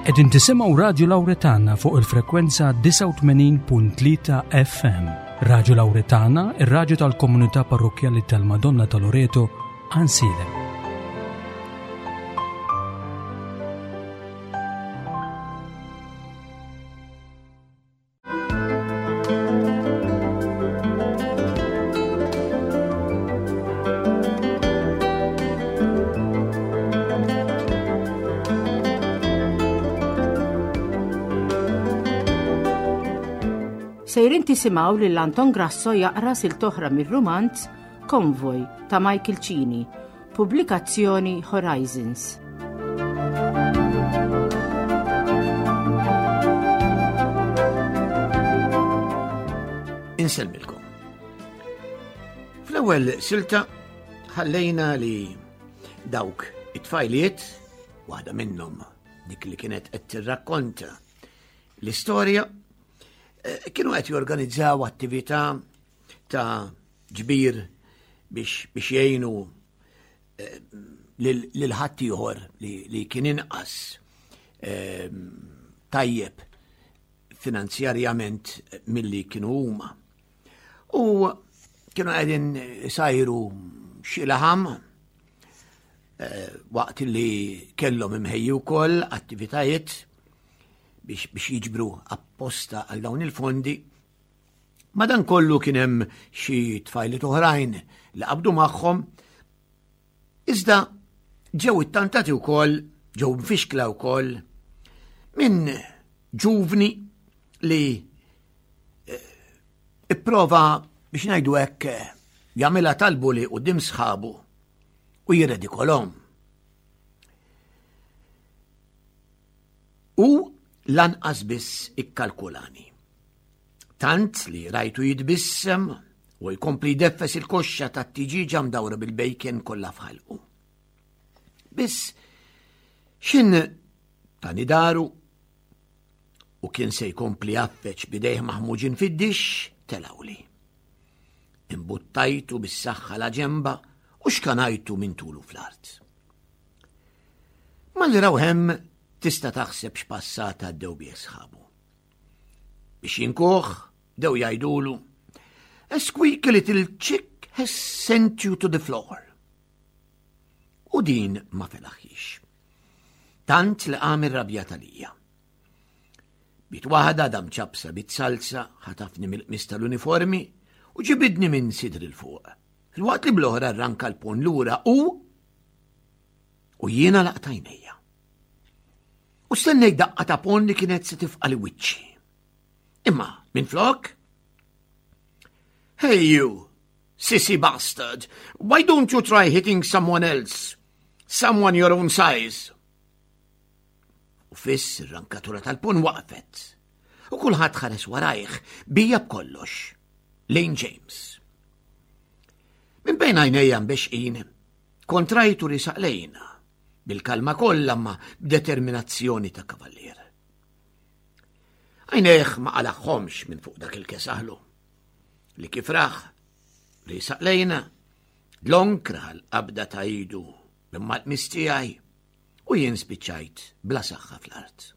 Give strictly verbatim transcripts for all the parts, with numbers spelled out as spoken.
Qegħdin tisimgħu Radio Lauretana fuq il-frekwenza disgħa u tmenin punt tlieta F M. Radio Lauretana, ir-raġu tal-komunità parrokjali tal-Madonna ta' Loreto, Għajnsielem. Sejrin tisimgħu lil Anton Grasso jaqra silta oħra mir-rumanz Konvoj ta' Michael Cini, pubblikazzjoni Horizons. Insellmilkom. Fl-ewwel silta ħallejna li dawk it-tfajliet, waħda minnhom dik li kienet qed tirrakkonta l-istorja, eh, kienu qed jorganizzaw attività ta' ġbir biex biex jgħinu eh, lil ħaddieħor li, li kien inqas eh, tajjeb finanzjarjament milli kienu huma. U kienu qegħdin sajru xi laħam eh, waqt li kellhom imħejju wkoll attivitajiet biex, biex jiġbru apposta għal dawn il-fondi. Madan kollu kien hemm xi tfajliet oħrajn li qabdu magħhom, iżda ġew ittantati wkoll, ġew mfixkla wkoll minn ġuvni li eh, ipprova, biex ngħidu hekk, jagħmilha tal-bully quddiem sħabu u jirredikolhom. U lanqas biss ikkalkulani. Tant li rajtu jitbissem u jkompli jdeffes il-koxxa tat-tiġiġa mdawra bil-bacon kollha f'ħalqu. Biss xin tani daru u kien se jkompli jaffeċ bidejh maħmuġin fid-dixx, telawli. Imbuttajtu bis-saħħa la ġemba u xkanajtu minn tulu fl-art. Malli raw hemm, tista' taħseb x'passata għaddew bih sħabu. Biex jinkuh, dew jgħidulu, "A squeaky little chick has sent you to the floor." U din ma felaħiex. Tant li qam irrabjat għalija. B'id waħda dam ċapsa bit-salsa, ħatafni mill-qmis tal-uniformi u ġibidni minn sidri 'l fuq. Filwaqt li bl-oħra rranka l-ponn lura u u jiena għalaqt għajnejja. U stennejt daqqa ta' ponn li kienet se tifqagħli wiċċi. Imma minn flok, "Hey you, sissy bastard, why don't you try hitting someone else? Someone your own size?" U fiss ir-rankatura tal-ponn waqfet. U kulħadd ħares warajh bija b'kollox. Lejn James. Minn bejn għajnejja mbexqin, kont rajtu riesaq lejna, bil-kalma kollha ma b'determinazzjoni ta' kavallier. Għajnejh ma qalagħhomx minn fuq dak il-kesaħlu. Li kif rah, riesaq lejna, dlonk raha l-qabda ta' idu minn mal-qmis tiegħi u jien spiċċajt bla saħħa fl-art.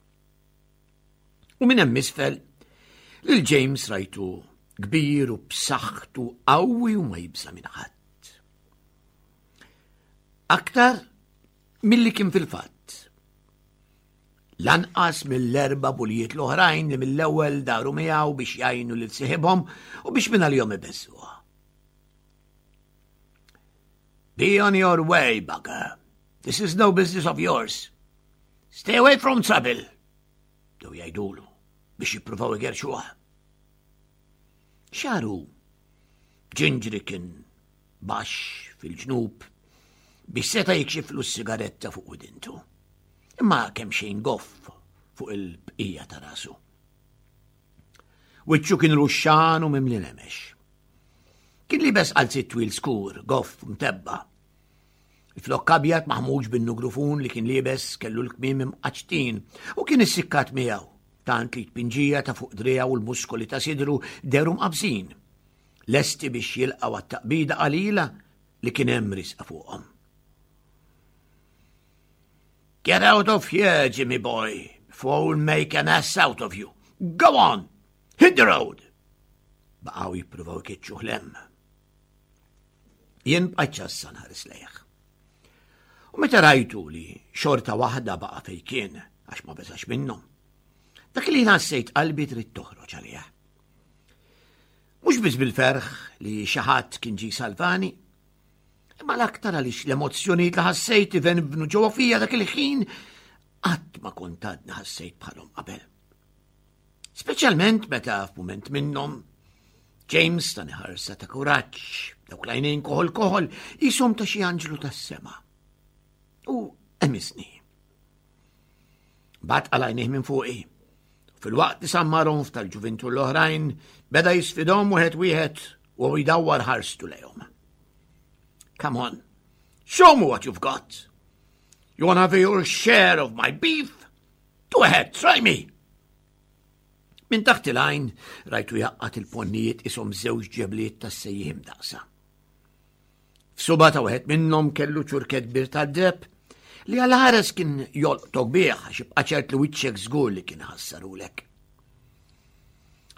U minn hemm isfel, lil James rajtu kbir u b'saħħtu, qawwi u ma jibża' minn ħadd. Aktar milli kien fil-fatt. Lanqas mill-erba' bulijiet l-oħrajn li mill-ewwel daru miegħu biex jgħinu lil siħibhom u biex minn għalihom ibeżżuha. "Be on your way, bugger. This is no business of yours. Stay away from trouble," Dew jgħidulu biex jippruvaw igerxuha. Xagħru ġinġri kien baxx fil-ġnub biex seta' jikxiflu s-sigaretta fuq widintu. Imma kemm xejn goff fuq il-bqija ta' rasu. Wiċċu kien ruxxan u mimli nemex. Kien liebes qalziet twil skur, goff, mtebba'. Il-flokk abjad maħmuġ bin-nugrufun li kien liebes kellu l-kmiem imqaċtin u kien issikkat miegħu, tant li tpinġija ta' fuq driegħu u l-muskoli ta' sidru dehru mqabżin. Lesti biex jilqgħu għat-taqbida qalila li kien hemm riesqa fuqhom. "Get out of here, Jimmy boy, Before we'll make an ass out of you. Go on! Hit the road! Baqgħu jippruvaw ikeċċuh 'l hemm. Jien bqajt ċassa nħares lejh. U meta rajtu li xorta waħda baqa' fejn kien għax ma beżax minnhom. Dak li ħassejt qalbi trid toħroġ għalih. Mhux biss bil-ferħ li xi ħadd kien ġi salvani, imma l-aktar għaliex l-emozzjonijiet li ħassejt ivenvnu ġewwa fija dak il-ħin qatt ma kont għadni ħassejt bħalhom qabel. Speċjalment meta f'mument minnhom James tani ħarsa ta' kuraġġ, dawk l-għajnejn koħol koħol, qishom ta' xi anġlu tas-sema. U għemiżni. Bat għalajnih minn fuqi. Filwaqt li sammarhom f'tal-ġuvintur l-oħrajn, beda jisfidhom wieħed wieħed u jdawwar ħarstu lejhom. Come on, show me what you've got. You wanna have your share of my beef? Go ahead, try me. Minn taħt il-għajn rajtu jgħaqqad il-ponnijiet qishom żewġ ġebliet tas-sejjieħ imdaqqsa. F'subgħa ta' wieħed minnhom kellu ċurkett kbir tad-deheb li għal-ħares kien jolqtok bih għax ibqa' ċert li wiċċek żgur li kien ħassarulek.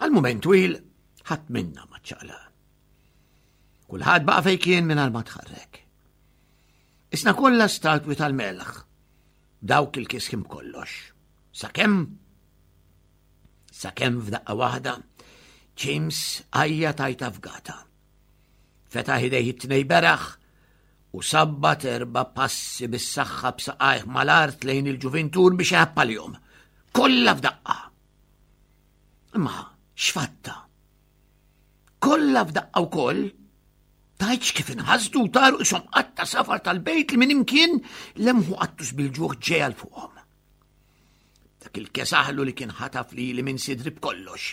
Għal mument twil ħadd minna ma ċaqlaq. Kulħadd baqa' fejn kien mingħajr ma tħarrek. Qisna kollha statwi tal-melħ, dawk il-kiskim kollox. Sakemm sakemm f'daqqa waħda, James għajjat għajta fgata. Fetaħ idejh it-tnejn beraħ u sabbat erba' passi bis-saħħa b'saqajh mal-art lejn il-ġuvintur biex jħappalihom. Kollha f'daqqa. Imma x'fatta? Kollha f'daqqa wkoll tgħidx kif inħasdu u taru qishom qatta safar tal-bejt li minn imkien lemħu qattus bil-ġuħ ġej għal fuqhom. Dak il-kesaħlu li kien ħataf li li minn sidri b'kollox.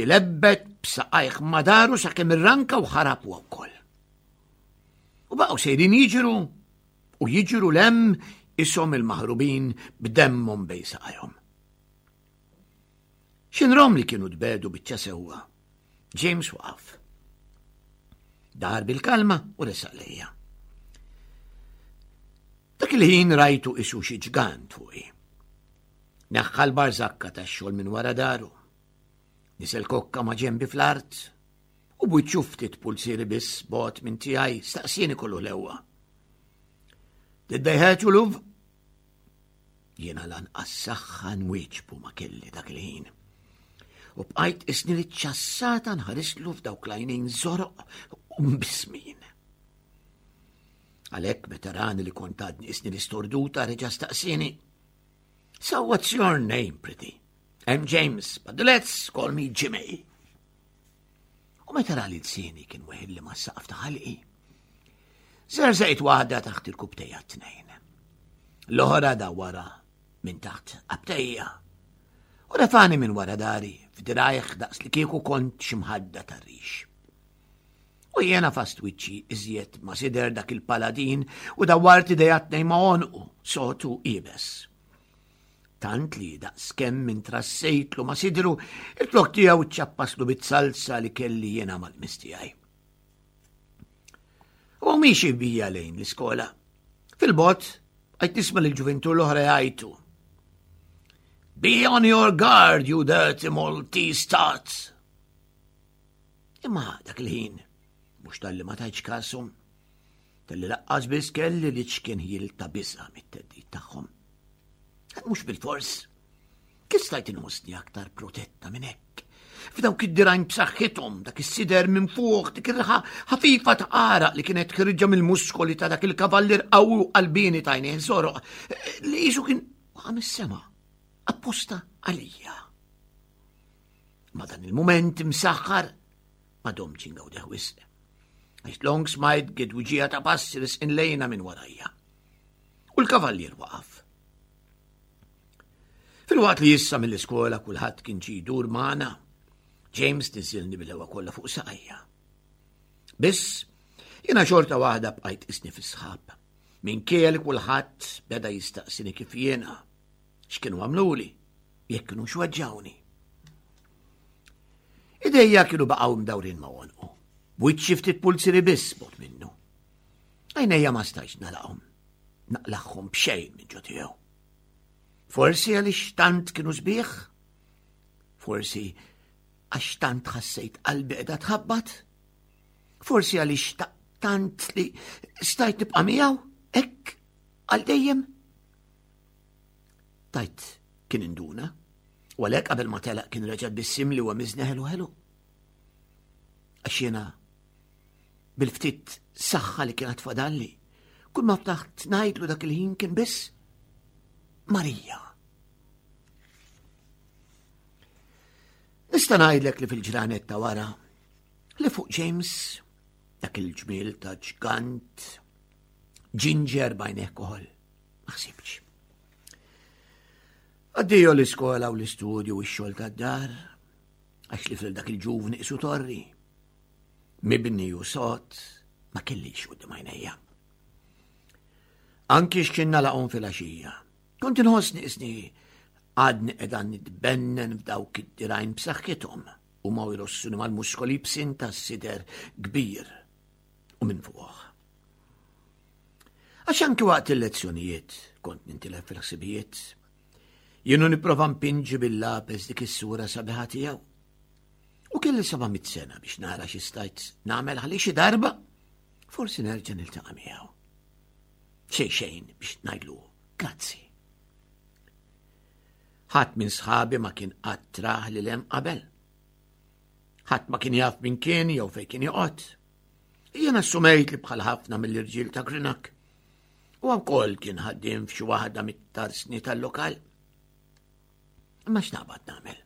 Ilebbet b'saqajh madaru sakemm irranka u ħarab huwa wkoll. U baqgħu sejrin jiġru u jiġru 'l hemm qishom il-maħrubin b'demmhom bejn saqajhom. X'inrom li kienu tbiegħdu biċċa sewwa. James waqaf. Dar bil-kalma u resaq lejja. Dak il-ħin rajtu qisu xi ġgant fuqi. Neħħa l-barżakka tax-xogħol minn wara daru. Niżel kokka ma' ġembi fl-art u b'wiċċu ftit pulzieri biss bogħod minn tiegħi staqsieni kollu ħlewwa. Did they hurt you, love? Jiena lanqas saħħa nwieġbu ma kelli dak il-ħin. U bqajt qisni li ċassata nħarislu f'dawk l-għajnejn żoroq u mbismin. Għalhekk meta rani li kont għadni qisni li storduta reġa' staqsieni. So what's your name, pretty? I'm James, but the lads call me Jimmy. U meta ra li lsieni kien weħilli mas-saqaf ta' ħalqi. Żerżaqt waħda taħt irkupptejja t-tnejn. L-oħra da wara minn taħt abtejja. U refani minn wara dari f'dirajh daqs li kieku kont xi mħadda tar-rix. U jiena għafast wiċċi iżjed ma' sider dak il-paladin u dawwart idejja t-tnejn ma' għonqu sod u iebes. Tant li daqs kemm minn trassejtlu ma' sidru, il-flok tiegħu ċappaslu bit-salsa li kelli jiena mal-qmis tiegħi. U miexi bija lejn l-iskola. Fil-bogħod, bqajt nisma' l-ġuvintur l-oħra jgħajtu. Be on your guard, you dirty Maltese tots. Imma dak il-ħin, mhux talli ma tajtx kashom, talli lanqas biss kelli l-iċken ħjiel ta' biża' mit-theddid tagħhom. Mhux bil-fors, kif stajt inħossni aktar protetta minn hekk? F'dawk id-dirgħajn b'saħħithom, dak is-sider minn fuq, dik ir-riħa ħafifa ta' għaraq li kienet ħierġa mill-muskoli ta' dak il-kavallir qawwi u qalbini t'għajnejh żoroq, li qisu kien waqa' mis-sema, apposta għalija. Ma dan il-moment imsaħħar ma domtx ingawdih wisq. Għax dlonk smajt gedwiġija ta' passi resqin lejna minn warajja. U l-kavallier waqaf. Filwaqt li issa mill-iskola kulħadd kien ġie jdur magħna, James niżilni bil-ħlewwa kollha fuq saqajja. Biss, jiena xorta waħda bqajt qisni fis-sħab. Minkejja li kulħadd beda jistaqsini kif jiena, x'kienu għamluli, jekk kienu xweġġawni. Idejja kienu baqgħu mdawrin ma' għonqu, b'wiċċi ftit pulzieri biss bogħod minnu. Għajnejja ma stajtx nagħlaqhom, naqlagħhom b'xejn minn ġo tiegħu. Forsi għaliex tant kienu sbieħ? Forsi għax tant ħassejt qalbi qiegħda tħabbat? Forsi għaliex tant li stajt nibqa' miegħu hekk għal dejjem? Tajt kien induna, u għalhekk qabel ma telaq kien reġa' tbissimli u għamiżni ħelu ħelu. Għax jiena bil-ftit saħħa li kienet fadalli, kull ma ftaħt ngħidlu dak il-ħin kien biss Marija. Nista' ngħidlek li fil-ġranet ta' wara li fuq James dak il-ġmiel ta' ġgant ġinġer bajneh koħol. Ma ħsibx. Addio l-iskola u l-istudju u x-xogħol tad-dar, għax li fil dak il-ġuvni isu torri. Mibni u sot ma kellix quddiem għajnejja. Anki x'kien nalaqhom fil-għaxija. Kont inħossni isni għadni qiegħda nitbennen f'dawk id-dirgħajn b'saħħithom u ma jrossuni mal-muskoli bsin tas-sider kbir u minn fuq. Għax anki waqt il-lezzjonijiet kont nintilef fil-ħsibijiet. Jienu nipprova mpinġi bil-lapes dik is-sura sabiħa tiegħu. U kelli seba' mitt sena biex nara xi stajt nagħmel ħalli xi darba forsi nerġa' niltaqa' miegħu. Xejn xejn biex ngħidlu grazzi. Ħadd minn sħabi ma kien qatt rah lil hemm qabel. Ħadd ma kien jaf min kien jew fejn kien joqgħod. Jien assumejt li bħal ħafna mill-irġiel ta' Greenock. U wkoll kien ħaddiem f'xi waħda mit-tarsni tal-lokal. Imma x'naqbad nagħmel?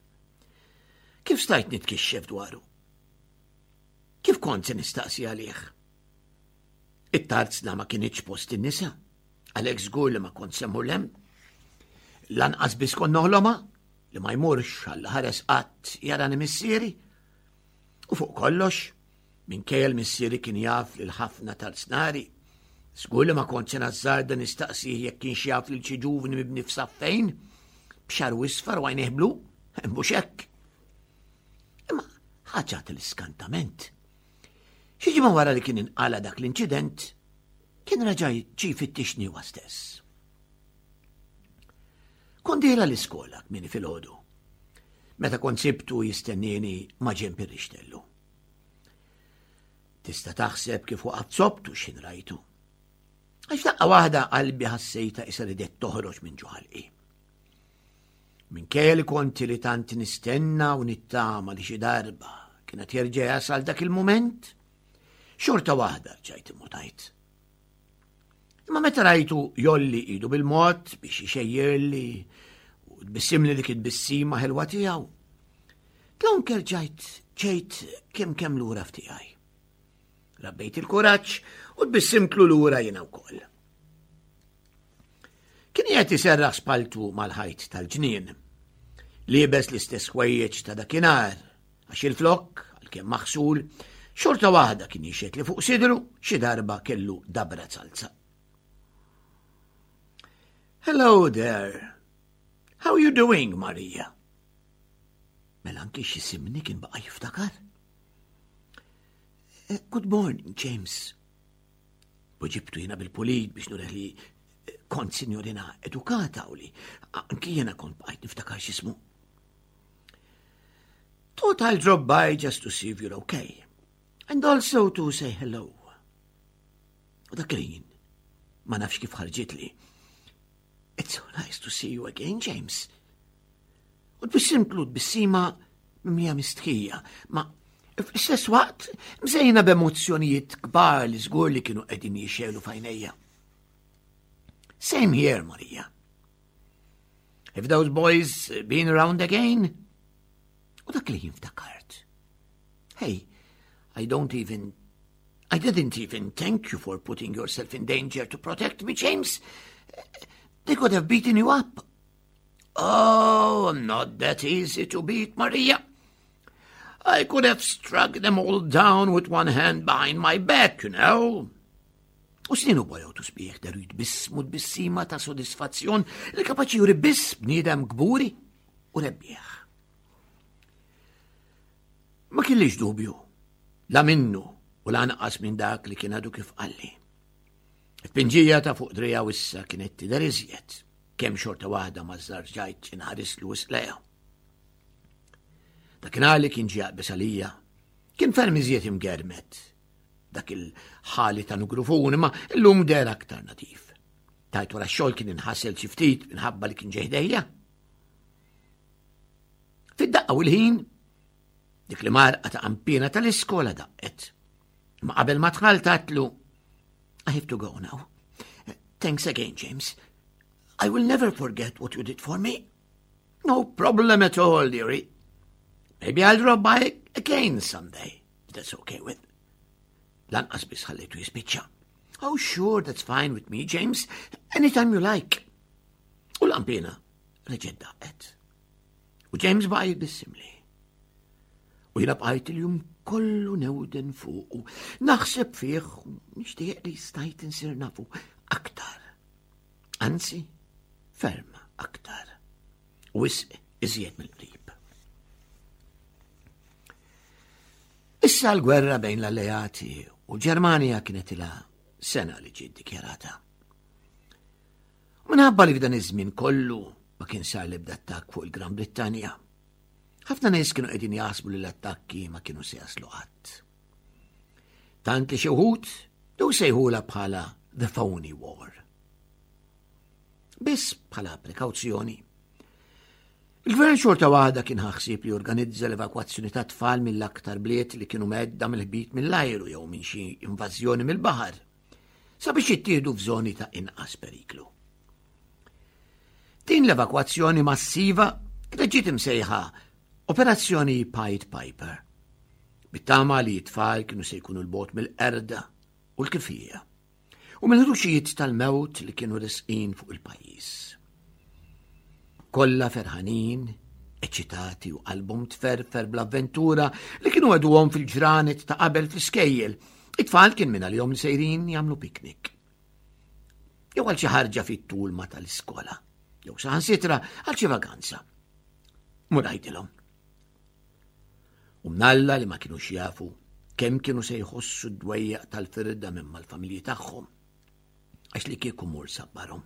Kif stajt nitkixxef dwaru? Kif kont se nistaqsi għalih? It-tarzna ma kienx post in-nisa, għalhekk żgur li ma kont se mmur hemm. Lanqas biss kont noħloma li ma jmurx għal ħares qatt jarani missieri. U fuq kollox, minkejja l-missieri kien jaf lil ħafna tarznari, żgur li ma kont se nażżarda nistaqsih jekk kienx jaf lil xi ġuvni mibni f'saffejn, b'xagħru isfar u għajnejh blu, mhux hekk. Imma ħaġa tal-iskantament. Xi ġimgħa wara li kien inqala dak l-inċident, kien reġa' ġie jfittixni huwa stess. Kont dieħla l-iskola kmieni filgħodu. Meta kont sibtu jistennieni ma' ġenb ir-rixtellu. Tista' taħseb kif waqaft sobtu x'ħin rajtu. Għax daqqa waħda qalbi ħassejta isa ridet toħroġ minn ġo ħalqi. Minkejja li kont li tant nistenna u nittama li xi darba kienet jerġa' jasal dak il-mument, xorta waħda rġajt immutajt. Imma meta rajtu jgħolli idu bil-mod biex ixejjerli u tbissimli dik it-tbissima ħelwa tiegħu, dlonk erġajt ġejt kemm kemm lura f'tiegħi. Rabbejt il-kuraġġ u tbissimtlu lura jiena wkoll. Kien qiegħed iserraħ spaltu mal-ħajt tal-ġnien. Liebes l-istess ħwejjeġ ta' dakinhar, għax il-flokk, għalkemm maħsul, xorta waħda kien jixhed li fuq sidru xi darba kellu dabra zalza. Hello there. How you doing, Maria? Mela anki x'isimni kien baqa' jiftakar. Eh, Good morning, James. Weġibtu jiena bil-pulit biex nurih li kont sinjorina edukata u li anki jiena kont bqajt niftakar x'ismu. Thought I'll drop by just to see if you're okay. And also to say hello. U dak il-ħin, ma nafx kif ħarġitli. It's so nice to see you again, James. U tbissimtlu tbissima mimlija mistħija, ma fl-istess waqt mżejna b'emozzjonijiet kbar li żgur li kienu qegħdin jixegħlu f'għajnejja. Same here, Maria. Have those boys been around again? U dak li ftakart. Hey, I don't even I didn't even thank you for putting yourself in danger to protect me, James. They could have beaten you up. Oh, I'm not that easy to beat, Maria. I could have struck them all down with one hand behind my back, you know. U sninu bojot u sbieħ dehru jitbissmu tbissima ta' sodisfazzjon li kapaċi juri biss bniedem kburi u rebbieħ. Ma kellix dubju, la minnu u lanqas minn dak li kien għadu kif qalli. It-pinġija ta' fuq driegħu issa kienet tidher iżjed, Għalkemm xorta waħda ma żarġajt inħarislu wisq. Dakinhar li kien ġie jaqbeż għalija, kien ferm iżjed imgermet. Dak il-ħali ta' nugrufun, ma illum deher aktar nadif. Tgħid wara x-xogħol kien inħasel xi ftit minħabba li kien ġej ħdejja. Fid-daqqa u l-ħin, dik li marqa ta' qanpiena tal-iskola daqqet. Ma qabel ma dħalt għedtlu, "I have to go now. Thanks again, James. I will never forget what you did for me." "No problem at all, dearie. Maybe I'll drop by again someday, if that's okay with." Lanqas biss ħallejtu jispiċċa. "Oh, sure, that's fine with me, James. Anytime you like." U l-qanpiena reġgħet daqqet. U James baqa' jitbissimli. U jiena bqajt il-jum kollu newden fuqu. Naħseb fih, nixtieq li stajt insir nafu aktar. Anzi, ferm aktar. Wisq iżjed mill-qrib. Issa l-gwerra bejn l-alleati u l-Ġermanja kienet ilha sena li ġiet dikjarata. Minħabba li f'dan iż-żmien kollu ma kien sar l-ebda attakk fuq il-Gran Brittanja, ħafna nies kienu qegħdin jaħsbu li l-attakki ma kienu se jaslu qatt. Tant li xi wħud bdew sejħula bħala The Phony War. Biss bħala prekawzjoni, il-gvern xorta waħda kien ħa ħsieb li jorganizza l-evakwazzjoni ta' tfal mill-aktar bliet li kienu mhedda mill-ħbit mill-ajru jew minn xi invażjoni mill-baħar, sabiex jittieħdu f'żoni ta' inqas periklu. Din l-evakwazzjoni massiva kienet ġiet imsejħa Operazzjoni Pied Piper, bit-tama li t-tfal kienu se jkunu 'l bogħod mill-qerda u l-kifija u mill-ħruxijiet tal-mewt li kienu resqin fuq il-pajjiż. Kollha ferħanin, eċitati u qalbhom tferfer bl-avventura li kienu wegħduhom fil-ġranet ta' qabel fl-iskejjel. It-tfal kien minn għalihom li sejrin jagħmlu piknik. Jew għal xi ħarġa fit-tul ma tal-iskola, jew saħansitra għal xi vaganza. Mur għidilhom. U mnalla li ma kienux jafu kemm kienu se jħossu d-dwejjaq tal-firda minn mal-familji tagħhom. Għax li kieku mur sabbarhom.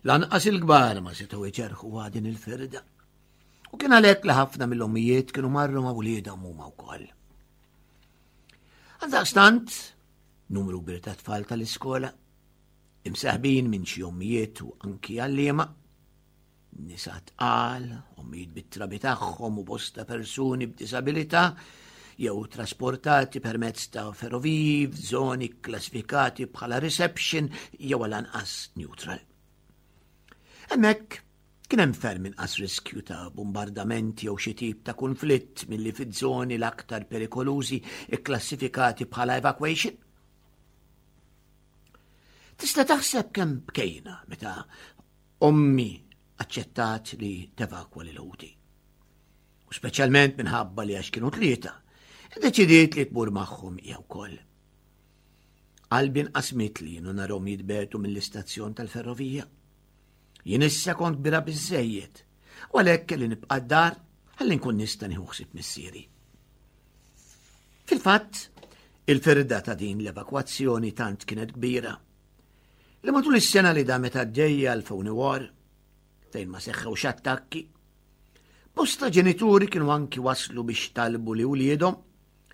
Lanqas il-kbar ma setgħu jġerħu din il-firda. U kien għalhekk li ħafna mill-ommijiet kienu marru ma' wliedhom huma wkoll. Għaldaqstant, numru kbir ta' tfal tal-iskola, imsaħbin minn xi ommijiet u anki għalliema, nisa tqal, ommijiet bit-trabi tagħhom u bosta persuni b'disabilità, jew trasportati permezz ta' ferroviji f'żoni klassifikati bħala reception jew għal-anqas neutral. Hemmhekk kien hemm ferm inqas riskju ta' bombardamenti jew xi tip ta' konflitt milli fiż-żoni l-aktar perikolużi ikklassifikati bħala evacuation. Tista' taħseb kemm bkejna meta ommi aċċettat li tevakwa lil ħuti. U speċjalment minħabba li għax kienu tlieta, iddeċidiet li tmur magħhom hija wkoll. Qalbi nqasmitli u narahom jitbiegħdu mill-istazzjon tal-ferrovija. Jien issa kont kbira biżżejjed, u għalhekk kelli nibqa' d-dar ħalli nkun nista' nieħu ħsieb missieri. Fil-fatt, il-firda ta' din l-evakwazzjoni tant kienet kbira li matul is-sena li damet għaddejja l-Phony War, fejn ma seħħewx attakki, bosta ġenituri kienu anki waslu biex talbu li wliedhom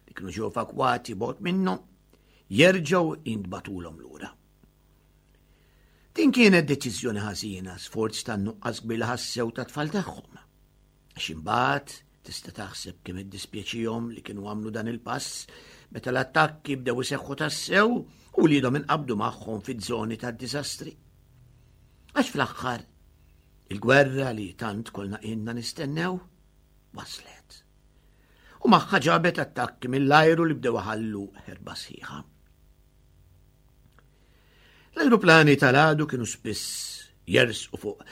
li kienu ġew evakwati bogħod minnhom jerġgħu jintbagħtulhom lura. Din kienet deċiżjoni ħażina sforz ta' nuqqas kbir li ħassew ta' tfal tagħhom. Għax imbagħad tista' taħseb kemm iddispjaċihom li kienu għamlu dan il-pass meta l-attakki bdew iseħħu tassew u wliedhom inqabdu magħhom fiż-żoni tad-diżastri. Għax fl-aħħar il-gwerra li tant kollna ilna nistennew waslet. U magħha ġabet attakki mill-ajru li bdew ħallu ħerba sħiħa. L-ajruplani tal-għadu kienu spiss jersqu fuq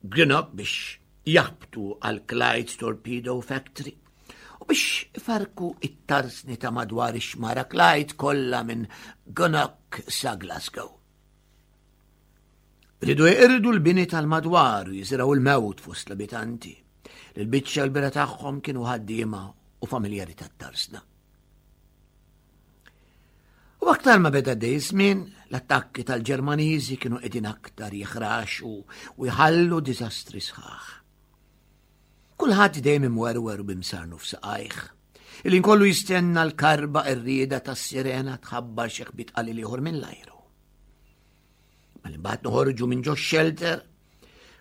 Greenock biex jaħbtu għal Clyde Torpedo Factory u biex ifarku it-tarsni ta' madwar ix-xmara Clyde kollha minn Greenock sa Glasgow. Riedu jeqirdu l-bini tal-madwar u jiżirgħu l-mewt fost l-abitanti. L-biċċa l-kbira tagħhom kienu ħaddiema u familjari tat-tarsna. U U aktar ma beda għaddej żmien, l-attakki tal-Ġermaniżi kienu qegħdin aktar jiħraxu u jħallu diżastri sħaħ. Kulħadd dejjem imwerwer u b'imsarnu f'saqajh. Il kollu jistenna l-karba ir-rieda tas-sirena tħabbar xi ħbit qalil ieħor minn l-ajru. Malli mbagħad noħorġu minn ġo shelter,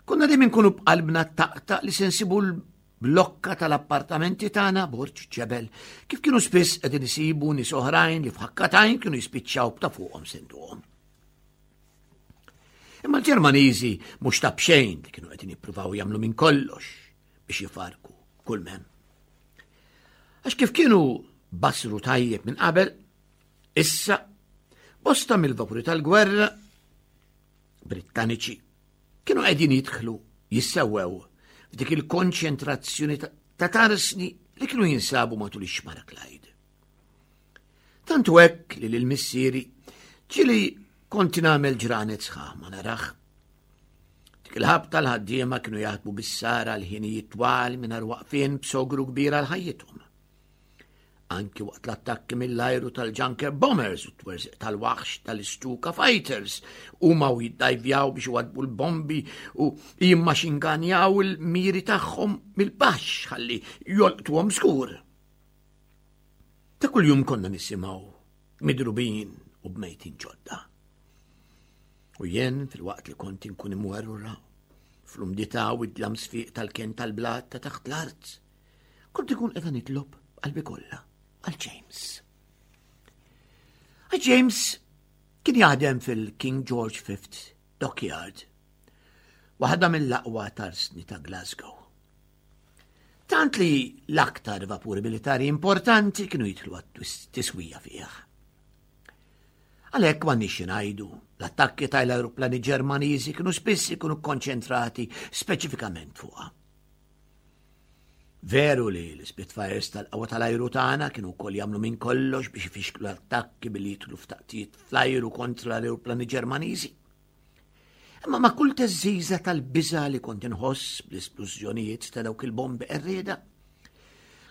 konna dejjem inkunu b'qalbna taqta' li se nsibu l-blokka tal-appartamenti tagħna borġ ġebel, kif kienu spiss qegħdin isibu nies oħrajn li f'ħakka t'għajn kienu jispiċċaw b'ta' fuqhom senduhom. Imma l-Ġermaniżi mhux ta' b'xejn li kienu qegħdin jippruvaw jagħmlu minn kollox biex jifarku kull mem. Għax kif kienu basru tajjeb minn qabel, issa bosta mill-vapuri tal-gwerra Brittaniċi kienu qegħdin jidħlu jissewwew f'dik il-konċentrazzjoni ta' tarsni li kienu jinsabu matul ix-xmara Clyde. Tantu hekk li lil missieri ġieli kont nagħmel ġranet sħaħ ma narah. Dik il-ħabta l-ħaddiema kienu jaħdmu bis-sara l-ħinijiet twal mingħajr waqfien b'sogru kbir għal ħajjithom. Anki waqt l-attakki mill-ajru tal-Junker Bombers u t-twerżiq tal-waħx tal-Stuka Fighters huma u jiddajvjaw biex iwaddbu l-bombi u jimmaxinganjaw il-miri tagħhom mill-baxx ħalli jolqtuhom żgur. Ta' kuljum konna nisimgħu midrubin u b'mejtin ġodda. U jien fil-waqt li kont inkun imwerwra fl-umdità u id-dlam sfiq tal-ken tal-blat ta' taħt l-art, kont ikun qiegħda nitlob qalbi kollha għal James. Għal James kien jaħdem fil-King George the Fifth Dockyard, waħda mill-aqwa tarsni ta' Glasgow. Tant li l-aktar vapuri militari importanti kienu jidħlu għat-tiswija fih. Għalhekk m'għandniex ngħidu, l-attakki tal-aeroplani Ġermaniżi kienu spiss ikunu konċentrati speċifikament fuqha. Veru li l-Spitfires tal-qawwa tal-ajru tagħna kienu wkoll jagħmlu minn kollox biex ifixklu l-attakki billi jidħlu f'taqtijiet fl-ajru kontra l-aeroplani Ġermaniżi. Imma ma' kull teżżiża tal-biża li kont inħoss bl-isplużjonijiet ta' dawk il-bombi qerrieda,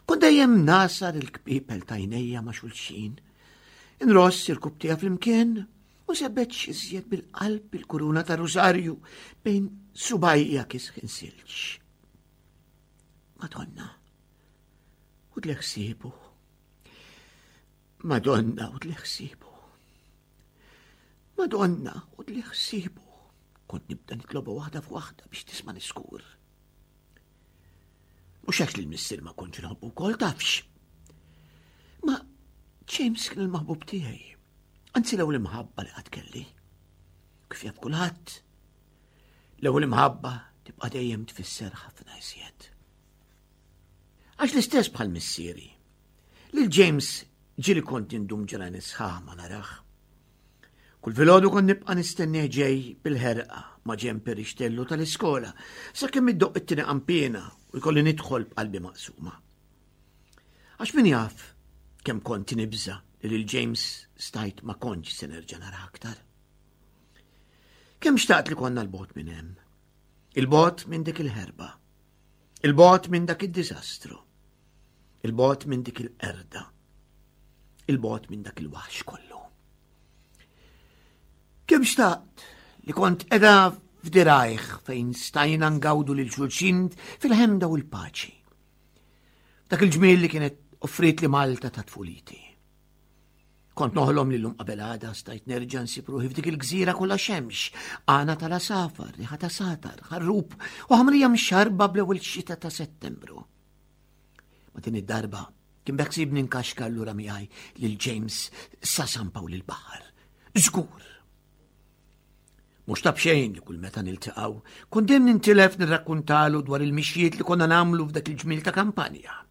kont dejjem nagħsar il-kpiepel t'għajnejja ma' xulxin, inross irkopptejja flimkien u nsebbet iżjed bil-qalb il-kuruna ta' Rosarju bejn subgħajja kisħin silġ. Madonna, ħudli ħsiebu. Madonna, ħudli ħsiebu. Madonna, ħudli ħsiebu. Kont nibda nitloba waħda f'waħda biex tisma' niskur. Mhux għax li l-missier ma kontx nħobbu wkoll tafx. Ma James kien il-maħbub tiegħi. Anzi l-ewwel imħabba li qatt kelli. Kif jaf kulħadd, l-ewwel imħabba tibqa' dejjem tfisser ħafna iżjed. Għax l-istess bħal missieri. Lil James ġieli kont indum ġranet sħaħ ma narah. Kull filgħodu kont nibqa' nistennieh ġej bil-ħerqa ma' ġenb ir-rixtellu tal-iskola sakemm iddoqq it-tieni qanpiena u jkolli nidħol b'qalbi maqsuma. Għax min jaf kemm kont nibża li lil James stajt ma kontx se nerġa' nara aktar. Kemm xtaqt li konna 'l bogħod minn hemm. 'Il bogħod minn dik il-ħerba. 'Il bogħod minn dak id-diżastru. 'Il bogħod minn dik il-qerda. 'Il bogħod minn dak il-waħx kollu. Kemm xtaqt li kont qiegħda f'dirgħajh fejn stajna ngawdu lil xulxin fil-ħemda u l-paċi. Dak il-ġmiel li kienet offrietli Malta ta' tfuliti. Kont noħlom li llum qabel għada stajt nerġa' nsib ruħi f'dik il-gżira kollha xemx, għana tal-għasafar, riħa ta' satar, ħarrub u ħamrija mxarba bl-ewwel xita ta' Settembru. Ma din id-darba kien beħsiebni nkaxkar lura miegħi lil James sa San Pawl il-Baħar. Żgur. Mhux ta' b'xejn li kull meta niltaqgħu, kont dejjem nintilef nirrakkuntalu dwar il-mixjiet li konna nagħmlu f'dak il-ġmiel ta' kampanja.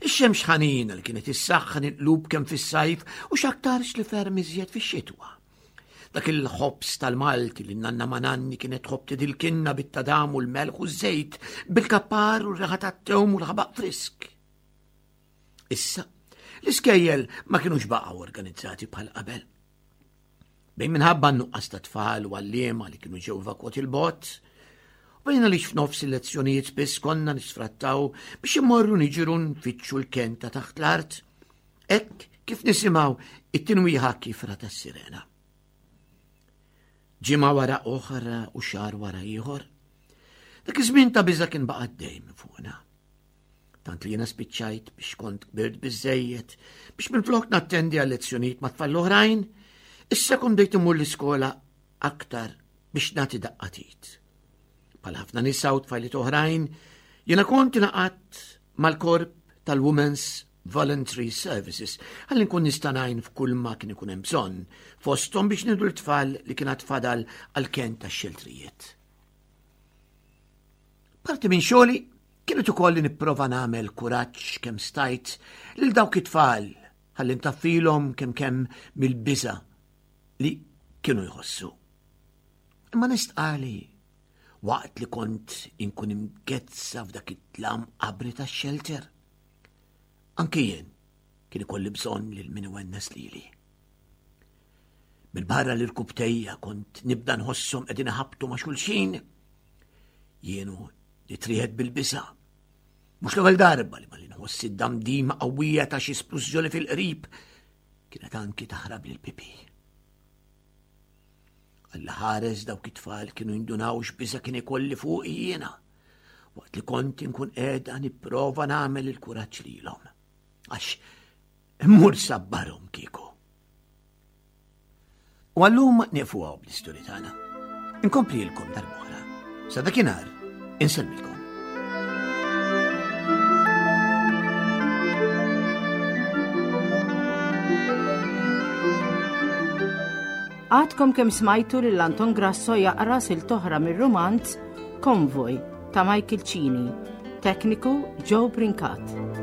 Ix-xemx ħanina li kienet issaħħan il-qlub kemm fis-sajf u x'aktarx li ferm iżjed fix-xitwa. Dak il-ħobż tal-Malti li nanna Mananni kienet tħobb tidilkilna bit-tadam u l-melħ u ż-żejt, bil-kappar u r-riħa tat-tewm u l-ħabaq frisk. Issa, l-iskejjel ma kienux baqgħu organizzati bħal qabel. Bejn minħabba n-nuqqas ta' tfal u għalliema li kienu ġew evakwati 'l bogħod, u bejn għaliex f'nofs il-lezzjonijiet spiss konna nisfrattaw biex immorru niġru nfittxu l-ken ta' taħt l-art. Hekk kif nisimgħu it-tinwiħa kifra tas-sirena. Ġimgħa wara oħra u xahar wara ieħor. Dak iż-żmien ta' biża' kien baqa' dejjem fuqna. Tant li jiena spiċċajt biex kont kbirt biżejjed biex minflok nattendi għal lezzjonijiet ma' tfal oħrajn, issa kont bdejt immur l-iskola aktar biex nagħti daqqa t'id. Bħal ħafna nisa u tfajliet oħrajn, jiena kont ingħaqadt mal-korp tal-Women's Voluntary Services ħalli nkun nista' ngħin f'kull ma kien ikun hemm bżonn, fosthom biex nieħdu t-tfal li kien fadal għal-ken tax-xeltrijiet. Parti minn xogħli kienet ukoll li nipprova nagħmel kuraġġ kemm stajt lil dawk it-tfal ħalli ntaffilhom kemm kemm mill-biża li kienu jħossu. Imma nistqali waqt li kont inkun imgezza f'dak id-dlam qabri tax-shelter. Anki jien kien ikolli bżonn lil min iwennes lili. Minn barra li rkubtejja kont nibda nħosshom qegħdin iħabtu ma' xulxin. Jienu nitriegħed bil-biża'. Mhux l-ewwel darba li malli nħoss id-damdima qawwija ta' xi splużjoni fil-qrib kienet anki taħrab lil pipi. Alla ħares dawk it-tfal kienu jindunaw x'biża' kien ikolli fuq jiena waqt li kont inkun qiegħda nipprova nagħmel il-kuraġġ lilhom. Għax immur sabbarhom kieku. U għallum nieqfu hawn bl-istorja tagħna. Inkomplilkom darb'oħra. Sa dakinhar insellmilkom. Għadkom kemm smajtu lil Anton Grasso jaqra silta oħra mir-rumanz Konvoj ta' Michael Cini, tekniku Joe Brincat.